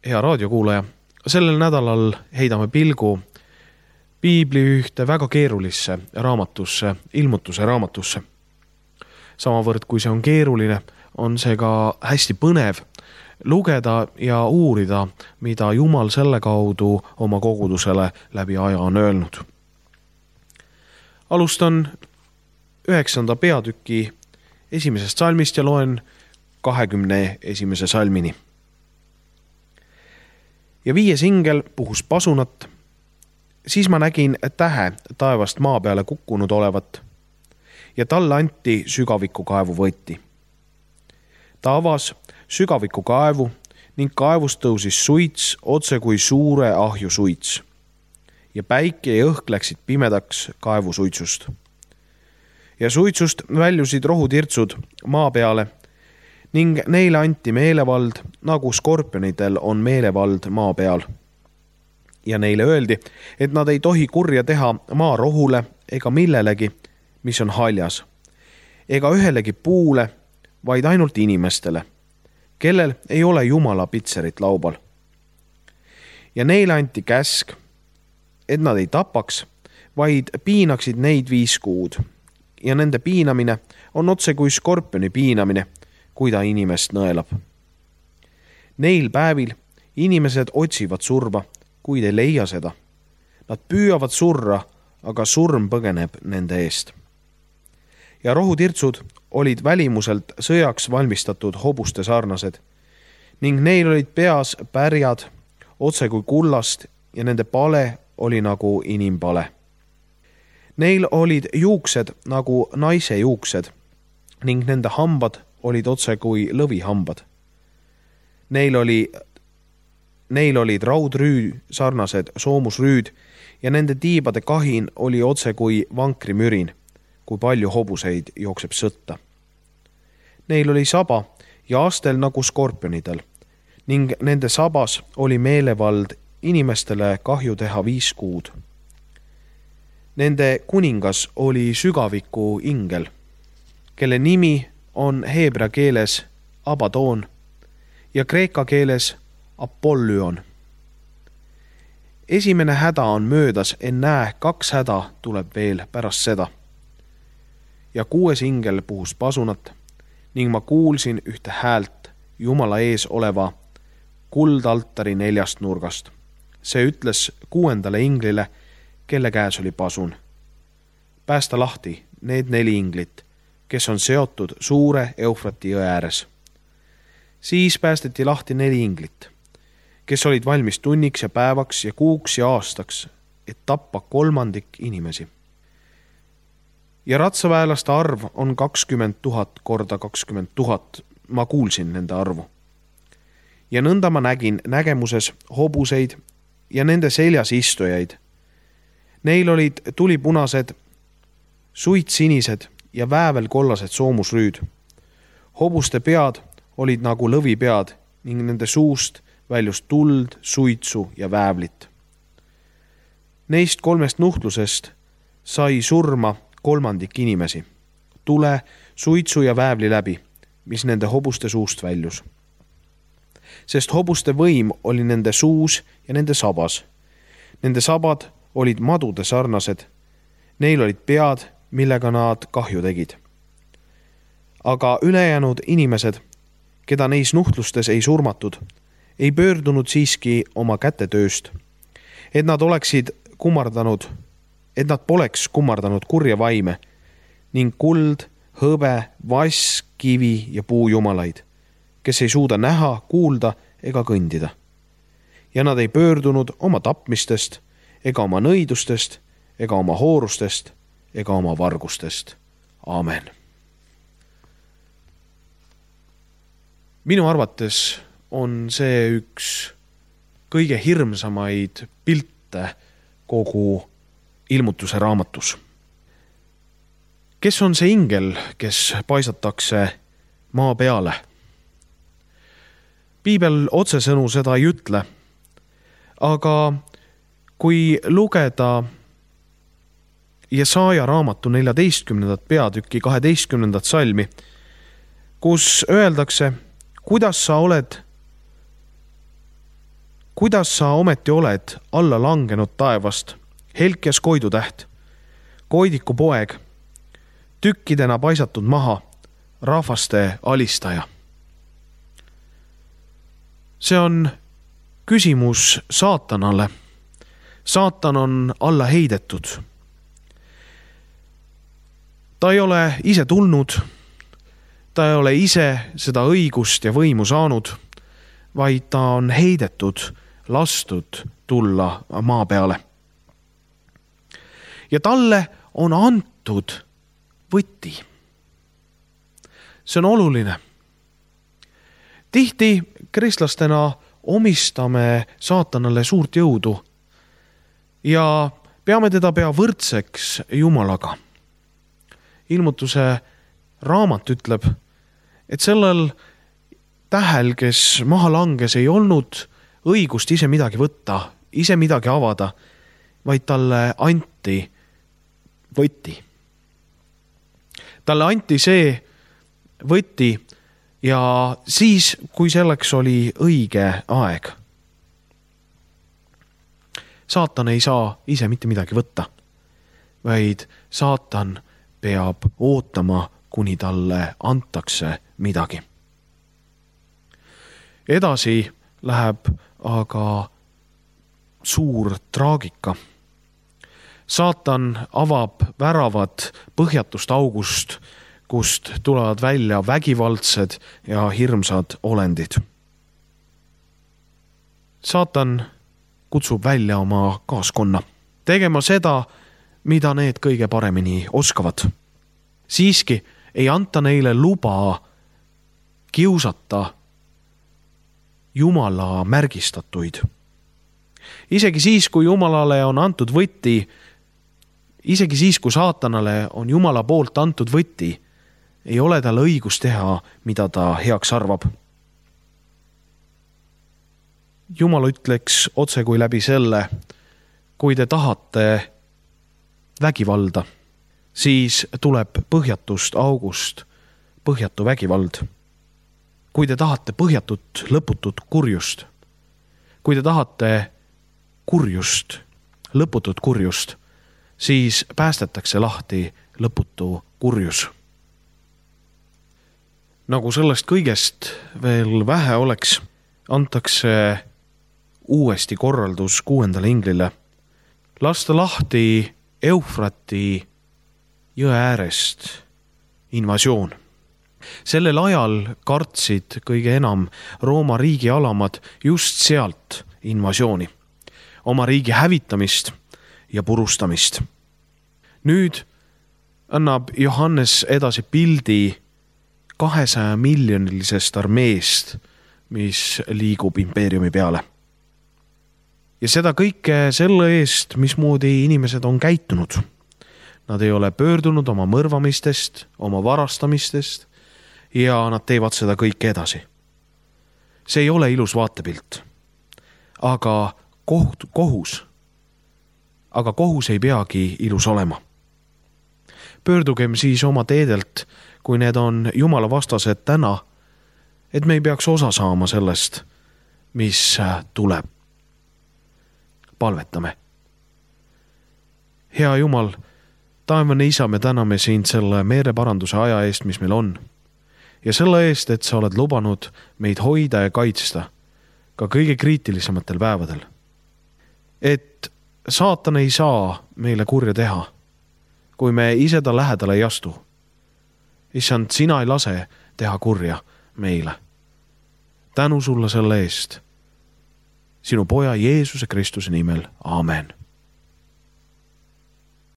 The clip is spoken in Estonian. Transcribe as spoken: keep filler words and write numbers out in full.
Hea raadiokuulaja, sellel nädalal heidame pilgu piibli ühte väga keerulisse raamatusse, ilmutuse raamatusse. Samavõrd kui see on keeruline, on see ka hästi põnev lugeda ja uurida, mida Jumal selle kaudu oma kogudusele läbi aja on öelnud. Alustan üheksanda peatüki esimesest salmist ja loen kahekümne esimese salmini. Ja viies ingel puhus pasunat, siis ma nägin tähe taevast maa peale kukkunud olevat ja talle anti sügaviku kaevu võti. Ta avas sügaviku kaevu ning kaevust tõusis suits otse kui suure ahju suits ja päike ja õhk läksid pimedaks kaevu suitsust. Ja suitsust väljusid rohutirtsud maa peale ning neile anti meelevald, nagu skorpionitel on meelevald maa peal. Ja neile öeldi, et nad ei tohi kurja teha maa rohule ega millelegi, mis on haljas, ega ühelegi puule, vaid ainult inimestele, kellel ei ole Jumala pitserit laubal. Ja neile anti käsk, et nad ei tapaks, vaid piinaksid neid viis kuud. Ja nende piinamine on otse kui skorpioni piinamine, kui ta inimest nõelab. Neil päevil inimesed otsivad surma, kuid ei leia seda. Nad püüavad surra, aga surm põgeneb nende eest. Ja rohutirtsud olid välimuselt sõjaks valmistatud hobuste sarnased ning neil olid peas pärjad otse kui kullast ja nende pale oli nagu inimpale. Neil olid juuksed nagu naise juuksed ning nende hambad olid otse kui lõvihambad. Neil, oli, neil olid raudrüü sarnased soomusrüüd ja nende tiibade kahin oli otse kui vankrimürin, kui palju hobuseid jookseb sõtta. Neil oli saba ja astel nagu skorpionitel ning nende sabas oli meelevald inimestele kahju teha viis kuud. Nende kuningas oli sügaviku ingel, kelle nimi on heebra keeles Abadoon ja kreeka keeles Apollyon. Esimene häda on möödas, en näe, kaks häda tuleb veel pärast seda. Ja kuues ingel puhus pasunat ning ma kuulsin ühte häält Jumala ees oleva kuldaltari neljast nurgast. See ütles kuuendale inglile, kelle käes oli pasun. Päästa lahti need neli inglit, kes on seotud suure Eufrati jõe ääres. Siis päästeti lahti neli inglit, kes olid valmis tunniks ja päevaks ja kuuks ja aastaks, et tappa kolmandik inimesi. Ja ratsaväelaste arv on kakskümmend tuhat korda kakskümmend tuhat, ma kuulsin nende arvu. Ja nõnda ma nägin nägemuses hobuseid ja nende seljas istujaid. Neil olid tulipunased, suitsinised ja väävel kollased soomusrüüd. Hobuste pead olid nagu lõvipead ning nende suust väljus tuld, suitsu ja väävlit. Neist kolmest nuhtlusest sai surma kolmandik inimesi, tule, suitsu ja väävli läbi, mis nende hobuste suust väljus. Sest hobuste võim oli nende suus ja nende sabas. Nende sabad olid madude sarnased, neil olid pead, millega nad kahju tegid. Aga ülejäänud inimesed, keda neis nuhtlustes ei surmatud, ei pöördunud siiski oma kätetööst, et nad oleksid kummardanud, et nad poleks kummardanud kurja vaime ning kuld, hõbe, vass, kivi ja puujumalaid, kes ei suuda näha, kuulda ega kõndida. Ja nad ei pöördunud oma tapmistest ega oma nõidustest ega oma hoorustest ega oma vargustest. Aamen. Minu arvates on see üks kõige hirmsamaid pilte kogu ilmutuse raamatus. Kes on see ingel, kes paisatakse maa peale? Piibel otsesõnu seda ei ütle, aga kui lugeda Jesaja raamatu neljateistkümnendat peatüki kaheteistkümnendat salmi, kus öeldakse, kuidas sa oled kuidas sa ometi oled alla langenud taevast, helkjas koidutäht, koidiku poeg, tükkidena paisatud maha, rahvaste alistaja. See on küsimus saatanale. Saatan on alla heidetud. Ta ei ole ise tulnud, ta ei ole ise seda õigust ja võimu saanud, vaid ta on heidetud, lastud tulla maa peale. Ja talle on antud võti. See on oluline. Tihti kristlastena omistame saatanale suurt jõudu ja peame teda pea võrdseks Jumalaga. Ilmutuse raamat ütleb, et sellel tähel, kes maha langes, ei olnud õigust ise midagi võtta, ise midagi avada, vaid talle anti võti. Talle anti see võti ja siis, kui selleks oli õige aeg. Saatan ei saa ise mitte midagi võtta, vaid saatan peab ootama, kuni talle antakse midagi. Edasi läheb aga suur traagika. Saatan avab väravad põhjatust august, kust tulevad välja vägivaldsed ja hirmsad olendid. Saatan kutsub välja oma kaaskonna, tegema seda, mida need kõige paremini oskavad. Siiski ei anta neile luba kiusata Jumala märgistatuid. Isegi siis, kui Jumalale on antud võti, isegi siis, kui saatanale on Jumala poolt antud võti, ei ole tal õigus teha, mida ta heaks arvab. Jumal ütleks otse kui läbi selle, kui te tahate vägivalda, siis tuleb põhjatust august põhjatu vägivald. Kui te tahate põhjatut lõputut kurjust, kui te tahate kurjust, lõputut kurjust, siis päästetakse lahti lõputu kurjus. Nagu sellest kõigest veel vähe oleks, antakse uuesti korraldus kuuendale inglile. Lasta lahti Eufrati jõe äärest invasioon. Sellel ajal kartsid kõige enam Rooma riigi alamad just sealt invasiooni, oma riigi hävitamist ja purustamist. Nüüd annab Johannes edasi pildi kahesaja miljonilisest armeest, mis liigub impeeriumi peale. Ja seda kõike selle eest, mismoodi inimesed on käitunud. Nad ei ole pöördunud oma mõrvamistest, oma varastamistest ja nad teevad seda kõike edasi. See ei ole ilus vaatepilt, aga koht, kohus, aga kohus ei peagi ilus olema. Pöördugem siis oma teedelt, kui need on Jumala vastased täna, et me ei peaks osa saama sellest, mis tuleb. Palvetame. Hea Jumal, taevane Isa, me täname sind selle meeleparanduse aja eest, mis meil on. Ja selle eest, et sa oled lubanud meid hoida ja kaitsta ka kõige kriitilisematel päevadel. Et saatan ei saa meile kurja teha, kui me ise ta lähedale ei astu. Issand, sina ei lase teha kurja meile. Tänu sulle selle eest. Sinu poja Jeesuse Kristuse nimel. Aamen.